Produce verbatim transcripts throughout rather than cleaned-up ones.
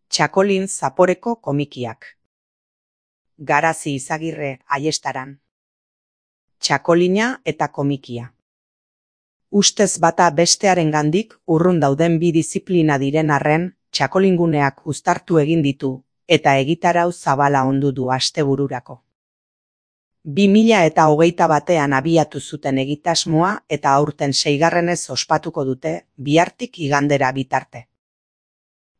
Txakolin zaporeko komikiak. Garazi Izagirre Aiestaran. Txakolina eta komikia. Ustez bata bestearengandik urrun dauden bi diziplina diren arren, txakolinguneak uztartu egin ditu, eta egitarau zabala ondu du astebururako. Bi mila eta hogeita batean abiatu zuten egitasmoa eta aurten seigarrenez ospatuko dute, bihartik igandera bitarte.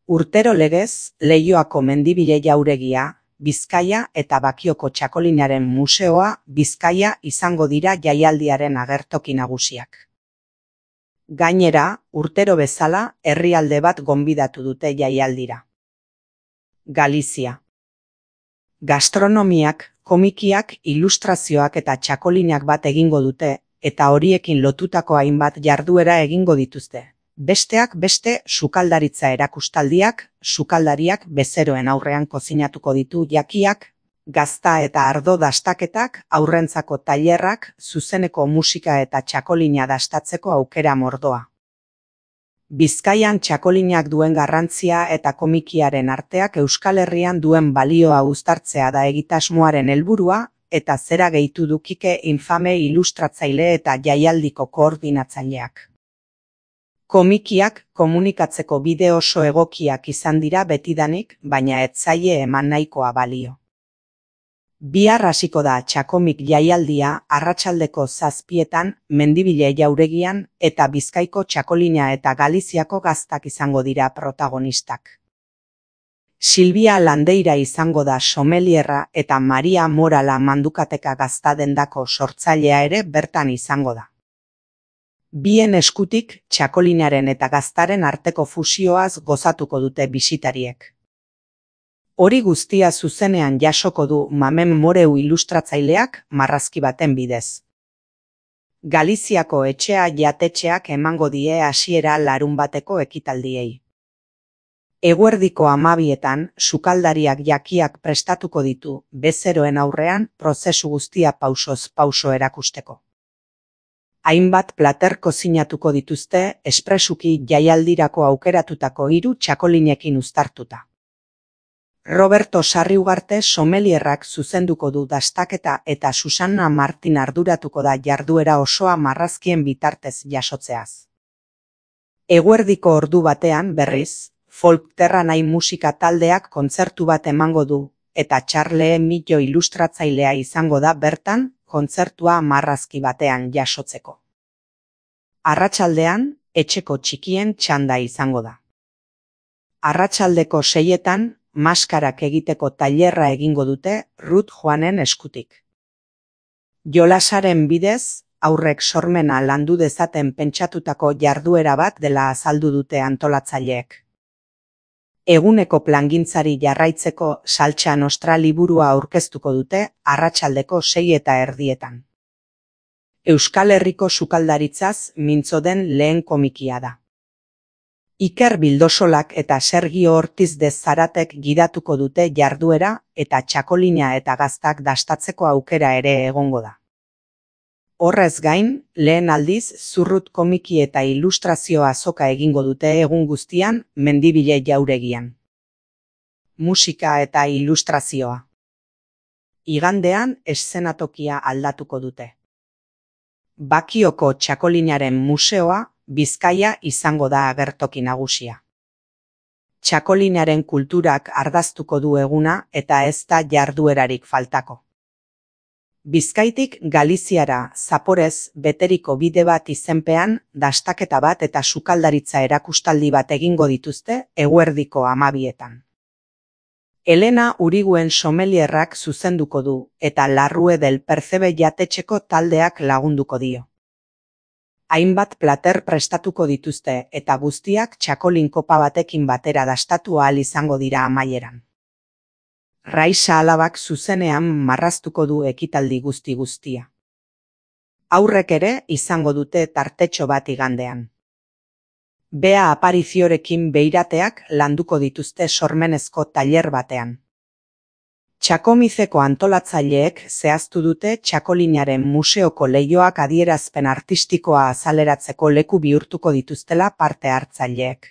Urtero legez, Leioako Mendibile Jauregia, Bizkaia eta Bakioko Txakolinaren Museoa Bizkaia izango dira jaialdiaren agertoki nagusiak. Gainera, urtero bezala, herrialde bat gonbidatu dute jaialdira. Galizia. Gastronomiak, komikiak, ilustrazioak eta txakolinak bat egingo dute, eta horiekin lotutako hainbat jarduera egingo dituzte. Besteak beste sukaldaritza erakustaldiak, sukaldariak bezeroen aurrean kozinatuko ditu jakiak, gazta eta ardo dastaketak, aurrentzako tailerrak, zuzeneko musika eta txakolina dastatzeko aukera mordoa. Bizkaian txakolinak duen garrantzia eta komikiaren arteak Euskal Herrian duen balioa uztartzea da egitasmoaren helburua, eta zera gehitu du Kike Infame ilustratzaile eta jaialdiko koordinatzaileak. Komikiak komunikatzeko bide oso egokiak izan dira betidanik, baina ez zaie eman nahikoa balio. Bihar hasiko da txakomik jaialdia arratsaldeko zazpietan, Mendibile Jauregian eta Bizkaiko Txakolina eta Galiziako gaztak izango dira protagonistak. Silvia Landeira izango da somelierra eta Maria Morala Mandukateka gaztadendako sortzailea ere bertan izango da. Bien eskutik txakolinaren eta gaztaren arteko fusioaz gozatuko dute bisitariek. Hori guztia zuzenean jasoko du Mamen Moreu ilustratzaileak marrazki baten bidez. Galiziako etxea jatetxeak emango die hasiera larun bateko ekitaldiei. Eguerdiko hamabietan, sukaldariak jakiak prestatuko ditu, bezeroen aurrean prozesu guztia pausoz pauso erakusteko. Hainbat plater kozinatuko dituzte, espresuki jaialdirako aukeratutako hiru txakolinekin uztartuta. Roberto Sarriugarte somelierrak zuzenduko du dastaketa eta Susanna Martin arduratuko da jarduera osoa marrazkien bitartez jasotzeaz. Eguerdiko ordu batean, berriz, folk terra nahi musika taldeak kontzertu bat emango du, eta Charle Millo ilustratzailea izango da bertan, kontzertua marrazki batean jasotzeko. Arratsaldean, etxeko txikien txanda izango da. Arratsaldeko seietan, maskarak egiteko tailerra egingo dute Ruth Joanen eskutik. Jolasaren bidez, aurrek sormena landu dezaten pentsatutako jarduera bat dela azaldu dute antolatzaileek. Eguneko plangintzari jarraitzeko Saltsa Nostra liburua aurkeztuko dute arratsaldeko sei eta erdietan. Euskal Herriko sukaldaritzaz mintzo den lehen komikia da. Iker Bildosolak eta Sergio Ortiz de Zaratek gidatuko dute jarduera eta txakolina eta gaztak dastatzeko aukera ere egongo da. Horrez gain, lehen aldiz zurrut komiki eta ilustrazio azoka egingo dute egun guztian Mendibile Jauregian. Musika eta ilustrazioa. Igandean eszenatokia aldatuko dute. Bakioko Txakolinaren Museoa Bizkaia izango da agertoki nagusia. Txakolinaren kulturak ardaztuko du eguna eta ez da jarduerarik faltako. Bizkaitik Galiziara zaporez beteriko bide bat izenpean, dastaketa bat eta sukaldaritza erakustaldi bat egingo dituzte eguerdiko hamabietan. Elena Uriguen somelierrak zuzenduko du eta Larrue del Percebe jatetxeko taldeak lagunduko dio. Hainbat plater prestatuko dituzte eta guztiak txakolin kopa batekin batera dastatu ahal izango dira amaieran. Raisa alabak zuzenean marraztuko du ekitaldi guzti guztia. Aurrek ere izango dute tartetxo bat igandean. Bea Apariziorekin beirateak landuko dituzte sormenezko tailer batean. Txakomizeko antolatzaileek zehaztu dute Txakolinaren museoko leihoak adierazpen artistikoa azaleratzeko leku bihurtuko dituztela parte hartzaileek.